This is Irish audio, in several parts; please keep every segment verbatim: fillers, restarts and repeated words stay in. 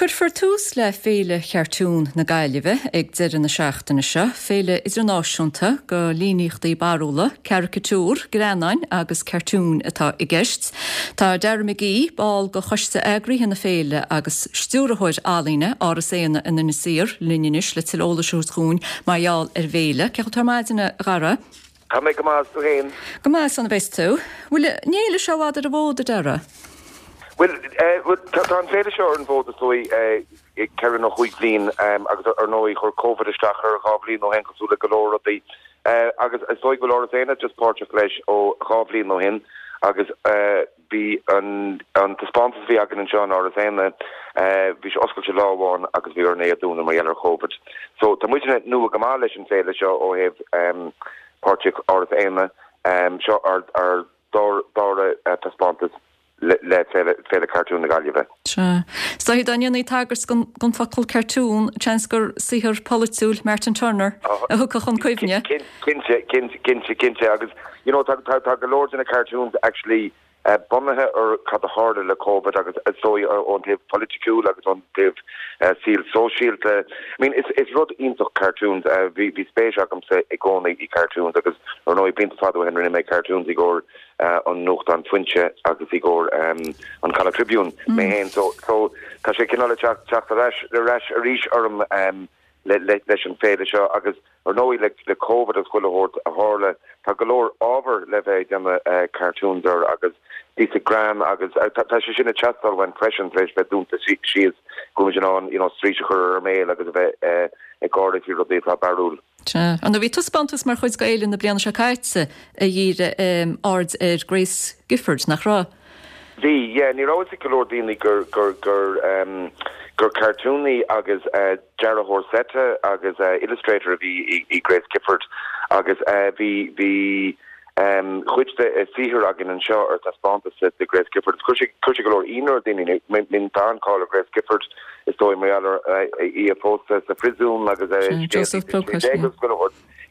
Cuirfear tús le Féile Chartún na Gaillimhe ag deireadh na seachtaine seo, féile idirnáisiúnta go líníochtaí barrúla, caricatúr, greannáin agus cartúin atá i gceist. Tá Dara McGee, ball go choiste eagraithe na féile agus stiúrthóir ealaíne Áras Éanna in Inis Oírr linn anois le tuilleadh eolais a thabhairt dúinn mar gheall ar an bhféile. Cén chaoi a bhfuil tú ar maidin a Dhara? Tá mé go maith tú féin. Go maith san a bheas tú. Bhfuil an fhéile seo i bhfad ar an bhfód a Dhara? Well tá an féile seo ar an bhfód is dóigh ceithre nó cúig bliain agus ar ndóigh chuir Covid isteach ar dhá bhliain ó shin cosúil le go leor rudaí agus is dóigh go bhfuil Áras Éanna just páirteach leis ó dhá bhliain ó shin agus bhí an an taispeántas bhí againn anseo in Áras Éanna bhí sé oscailte lá amháin agus bhí orainn é a dhúnadh mar gheall ar Covid. So tá muidne nua go maith leis an féile seo ó thaobh páirteach Áras Éanna seo ar ar dara taispeántas le le Féile Cartún na Gaillimhe. Sea. So dá ndéanfaí tagairt don focal cartoon seans gur saothar polaitiúil Martin Turner a thiocfadh chun cuimhne. Cinnte cinnte cinnte agus you know tá tá go leor de na cartoons actually uh, bunaithe ar cad a tharla le COVID agus so ón taobh polaitiúil agus ón taobh uh, saol sóisialta. I mean is is rud iontach cartoons uh, bhí bhí spéis agamsa i gcónaí i cartoons agus ar ndóigh blianta fada ó shin rinne mé cartoons i gcomhair uh, an nuachtán Foinse agus i gcomhair um, an Connacht Tribune mm. mé féin so so tá sé cineál teacht ar ais ar ais arís orm um, le, le, leis an féile seo agus ar ndóigh le le COVID agus chuile shórt a tharla tá go leor ábhar le bheith déanamh uh, cartoons ar agus píosa greann agus uh, tá sé sin ag teastáil uainn freisin tar éis bheith dúnta síos go an an you know, straois a chur ar méil agus a bheith uh, ag gáire faoi rudaí atá barrúil. An bhí taispeántas mar chuid den fhéile na bliana seo caite a dhírigh um, aird ar Grace Gifford nach raibh. Bhí yeah, ní raibh go leor daoine gur gur gur um, gur cartúnaí agus uh, dearthóir seite agus uh, illustrator a bhí i, i Grace Gifford agus uh, bhí bhí um, chuid de uh, saothar againn anseo ar taispeántas de Grace Gifford. Chuir sé go leor ionadh ar daoine min tá an-cháil ar Grace Gifford is dóigh mar uh, í a pósadh sa phríosún agus uh, Joseph Plunkett,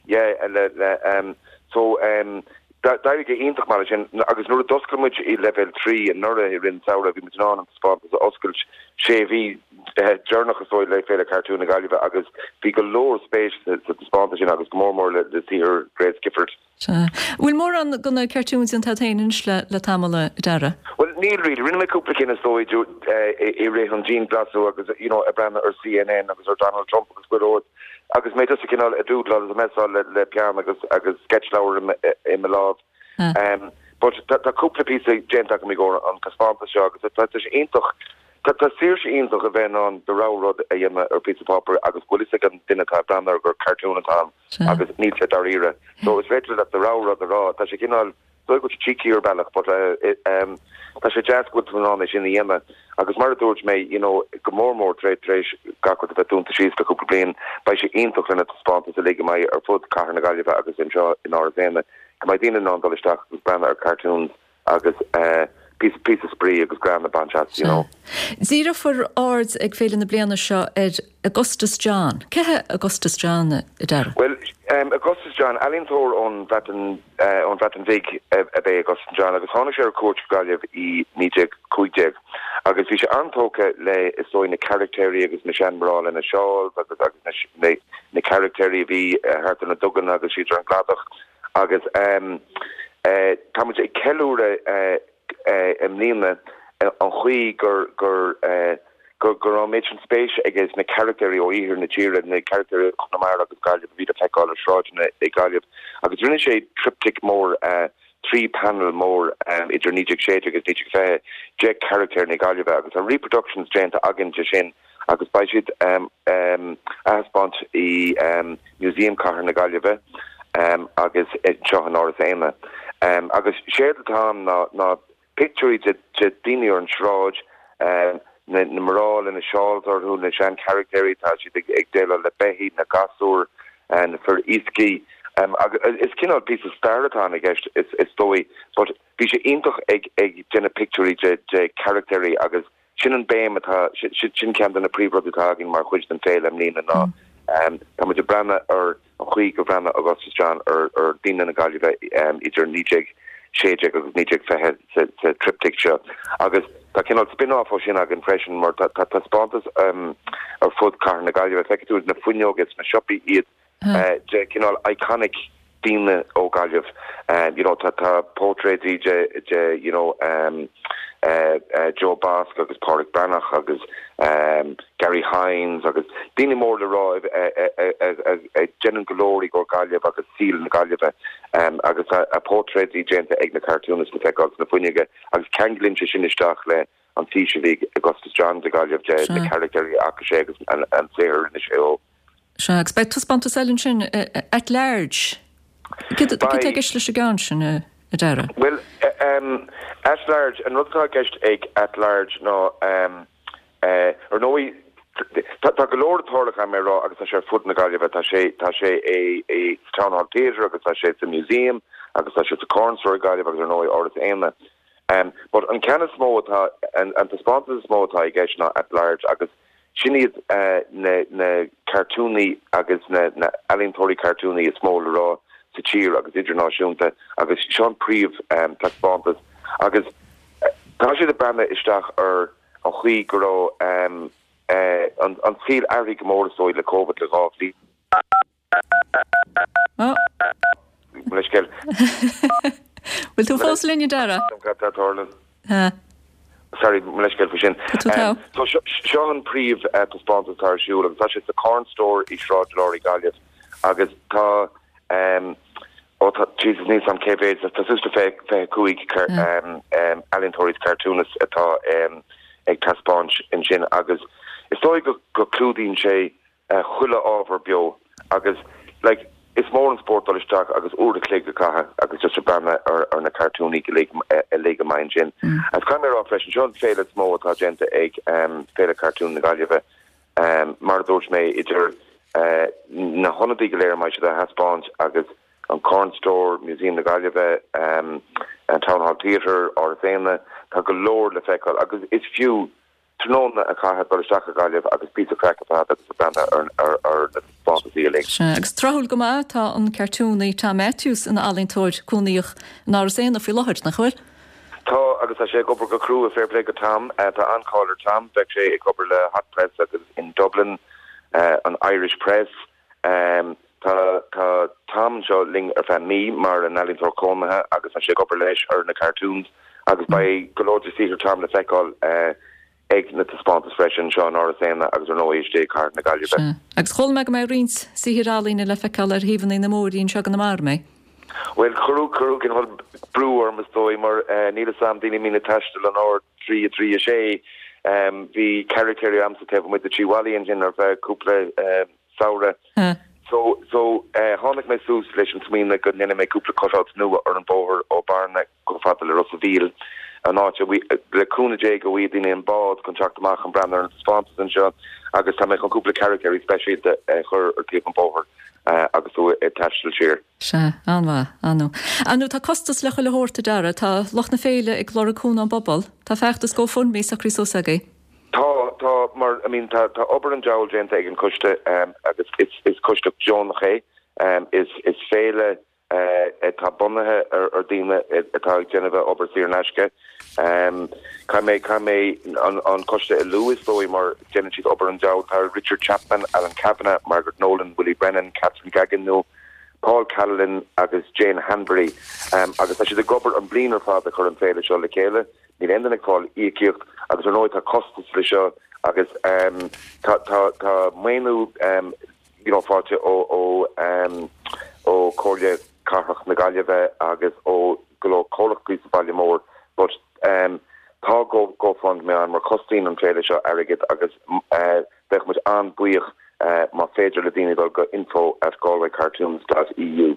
yeah, le, le, um, so um, D'éirigh go hiontach mar sin agus nuair a d'oscail muid i level trí anuraidh i rith an tsamhraidh bhí muid in ann an taispeántas a oscailt sé mhí deireanach is dóigh le Féile Cartún na Gaillimhe agus bhí go leor spéis sa taispeántas sin agus go mór mór le le saothar Grace Gifford. Bhfuil mórán de na cartoons déanta agat féin le le tamall a Dhara? Well níl really rinne mé cúpla cinn is dóigh i rith an dianghlasáil agus you know ag breathnú ar CNN agus ar Donald Trump agus go agus mé just cineál ag doodle agus mé le le peann agus agus sketchleabhar i mo lámh. Um, but tá cúpla píosa déanta agam i gcomhair an taispeántas seo agus tá sé iontach Tá tá saoirse iontach a bheith ann do rogha rud a dhéanamh ar píosa páipéir agus go bhfuil a fhios ag an duine atá ag breathnú gur cartoon atá agus níl sé dáiríre. So is féidir leat do rogha rud a rá tá sé cineál go cheeky ar bealach, but uh, um, tá sé deas go bhfuil an sin a dhéanamh agus mar a dúirt mé you know, go mór mór tré tréis gach rud a bheith dúnta síos le cúpla bliain beidh sé iontach lena taispeántas a le mai ar fud cathair na Gaillimhe agus anseo in Áras Éanna go mbeidh daoine in ann dul isteach agus breathnú ar cartoons agus uh, píosa píosa spraoi agus greann a bhaint as you know. Díreofar aird ag féile na bliana seo ar Augustus John. Cé hé Augustus John a Dhara? Well um, Augustus John ealaíontóir ón Bhreatain uh, ón Bhreatain Bheag ab ea Augustus John agus tháinig sé ar cuairt Gaillimh i naoi déag cúig déag. Agus bhí sé an-tógtha le is dóigh na caractéirí agus na seanmná na seáls agus agus na, na caractéirí bhí uh, thart na duganna agus siad an cladach agus um, uh, tá muid ag ceiliúradh uh, uh, i mbliana uh, an chaoi gur gur uh, gur gur an méid sin spéis aige sna caractéirí ó iarthar na tíre na caractéirí Chonamara agus Gaillimh bhí le feiceáil ar sráideanna i Gaillimh agus rinne sé triptych mór uh, trí panel mór um, idir naoi déag sé agus naoi déag fiche de charactéir na Gaillimhe agus an reproductions déanta againn de sin agus beidh siad um, um, ar taispeáint i um, Museum Cathair na Gaillimhe um, agus seo in Áras Éanna. Um, agus séard atá ná ná pictiúirí de de daoine ar an sráid um, na na mná na seáls orthu na sean caractéirí tá siad ag ag déileáil le beithígh na gasúir uh, na fir iascaigh um, agus is cineál píosa stair atá i gceist is is dóigh but bhí sé iontach ag ag déanamh pictiúirí de de caractéirí agus sin an béim atá sin ceann de na príomhrudaí atá againn mar chuid den féile i mbliana ná um, tá muid ag breathnú ar an chaoi gur bhreathnaigh Augustus John ar ar daoine na Gaillimhe um, idir naoi déag sé déag agus naoi déag fiche sa, sa triptych seo agus tá cineál spin-off ó sin againn freisin mar tá tá taispeántas um, ar fud cathair na Gaillimhe feicfidh tú na fuinneoga sna siopaí iad uh, de cineál iconic daoine ó Gaillimh um, you know tá tá portréidí de de you know um, uh, uh, Joe Basque agus Pádraig Breathnach agus um, Gary Hines agus daoine mór le rá déanann go leor do Ghaillimh agus saol na Gaillimhe um, agus a, a portréidí déanta ag na cartoonists le feiceáil na fuinneoga agus ceanglaíonn sé sin isteach le an fís a bhí Augustus John de Gaillimh de na caractéirí acu sé agus an, an saothar rinne sé ó. Sea, agus beidh taispeántas eile ansin at large. Cad atá i gceist leis an gceann sin a Dara? Well um, at large an rud atá i gceist ag at large ná um, uh, ar ndóigh tá tá go leor tarlaithe mé rá agus tá sé fud na Gaillimhe tá sé tá sé é é Town Hall Theatre agus tá sé sa museum agus tá sé sa Corn Store Gaillimh agus ar ndóigh Áras Éanna. Um, but an ceann is mó atá an, an taispeántas is mó atá i gceist ná at large agus sin iad uh, na, na cartúnaí agus na, na ealaíontóirí cartúnaí is mó le rá sa tír agus idirnáisiúnta agus seo an príomh um, taispeántas agus uh, tá sé ag breathnú isteach ar an chaoi go raibh um, uh, an, an saol athraithe go mór is le COVID le dhá bhliain. Oh. Leithscéal. Bhfuil tú fós linn Dara? Tarla. Sorry leithscéal faoi sin. Tá So seo an príomh uh, taispeántas ar siúl agus tá sé sa Corn Store i Sráid Delory Gaillimh agus tá um, ó tá Jesus níos an cé tá suas le fiche cúig um, um, ealaíontóirí cartoonists atá um, ag taispeáint ansin agus is dóigh go, go clúdaíonn sé uh, chuile ábhar beo agus like, is mór an spórt dul isteach agus uair a chloig a chaitheamh agus just breathnú ar, ar na cartúnaí uilig amach ansin. Mm. Agus caithfidh mé rá freisin seo an féile is mó atá déanta ag um, Féile Cartún na Gaillimhe um, mar dúirt mé idir uh, na hionadaí go léir mai a thaispeáint agus an Corn Store, Museum na Gaillimhe, um, an Town Hall Theatre Áras Éanna, tá go leor le feiceáil agus is fiú tráthnóna a chaitheamh dul isteach go Gaillimh agus píosa craic a agus a breathnú ar ar ar na taispeántaisí uilig. Agus tráthúil go maith tá an cartúnaí Tom Matthews ina ealaíontóir cónaitheach in Áras Éanna faoi láthair nach bhfuil? Tá agus tá sé ag obair go crua fair play go Tom uh, tá an-cháil ar Tom bheadh sé ag obair le Hot Press agus in Dublin uh, an Irish Press um, tá tá Tom seo linn ar feadh mí mar an ealaíontóir cónaithe agus tá sé ag obair leis ar na cartoons agus beidh go leor de shaothar Tom le feiceáil uh, ag na taispeántais freisin seo in Áras Éanna agus ar ndóigh istigh i gcathair na Gaillimhe. Agus chuala mé go mbeidh roinnt saothar ealaíne le feiceáil ar thaobhanna na mbóithrí anseo go mar mé. Well chuir chuir an brú orm is dóigh mar uh, níl sam daoine mína taisteal an R trí trí a sé um, bhí caractéirí a'msa taobh amuigh de trí bhallaí ansin ar feadh cúpla um, samhradh. Uh. So so uh, tháinig mé suas leis an smaoineamh go ndéanfaidh mé cúpla cutout nua ar an bóthar ó Bearna go fada le Ros an Mhíl an áit le cúnamh Dé go bhfaighidh daoine an bád chun teacht amach an breathnú ar an taispeántas anseo agus tá mé chun cúpla caractéirí speisialta uh, chur ar taobh an bóthar uh, agus tú ag taisteal siar. Sea, an-mhaith, an-mhaith. Anu tá costas le chuile shórt a Dara, tá lucht na féile ag lorg cúnamh ón bpobal, Tá feachtas GoFundMe socraithe suas agaibh. Tá tá mar I mean tá tá obair an diabhail déanta ag an coiste um, agus is is coiste deonach é um, is is féile uh, atá bunaithe ar ar daoine atá ag déanamh obair saor in aisce. Um, Caithfidh mé caithfidh mé an, an coiste a lua is dóigh mar déanann siad obair an diabhail tá Richard Chapman, Alan Kavanagh, Margaret Nolan, Willie Brennan, Catherine Gagano, Paul Callan agus Jane Hanbury um, agus tá siad ag obair an bliain ar fad a chur an féile seo le chéile, níl aon duine ag fáil íocaíocht agus ar ndóigh tá costas le seo agus um, tá tá tá maoiniú um, you know, faighte ó ó um, ó Chomhairle Cathrach na Gaillimhe agus ó go leor comhlachtaí sa bhaile mór but um, tá go GoFundMe ann mar cosnaíonn an féile seo airgead agus uh, bheadh muid an-bhuíoch uh, má féidir le daoine dul go info at galwaycartoons.eu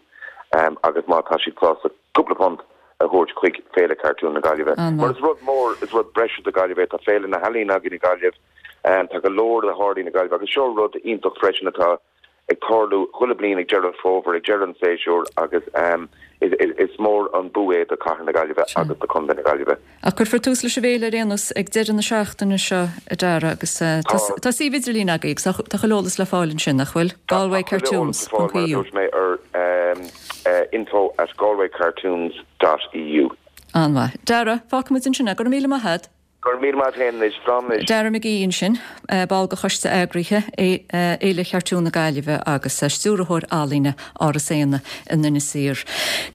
um, agus má tá siad sásta cúpla punt a thabhairt chuig Féile Cartún na Gaillimhe. Mar is rud mór is rud breise do Gaillimh tá Féile na hEalaíon againn i Gaillimh um, tá go leor le tarlú i Gaillimh agus seo rud iontach freisin atá ag tarlú chuile bliain ag deireadh fómhair ag deireadh an séasúr agus um, is, is, is mór an bua é do chathair na Gaillimhe agus do chontae na Gaillimhe. A cuirfear tús leis an bhféile ar aon nós ag deireadh na seachtaine seo a Dara agus uh, tá tá suíomh idirlín agaibh tá chuile eolas le fáil ansin nach bhfuil Galway Cartoons EU. mé ar um, uh, info at galwaycartoons.eu. An-mhaith. Dara, fágfaimid ansin go míle maith. Go raibh míle maith agat anois, slán anois. Dara McGee ansin, ball de choiste eagraithe Fhéile Chartún na Gaillimhe agus stiúrthóir ealaíne Áras Éanna in Inis Oírr.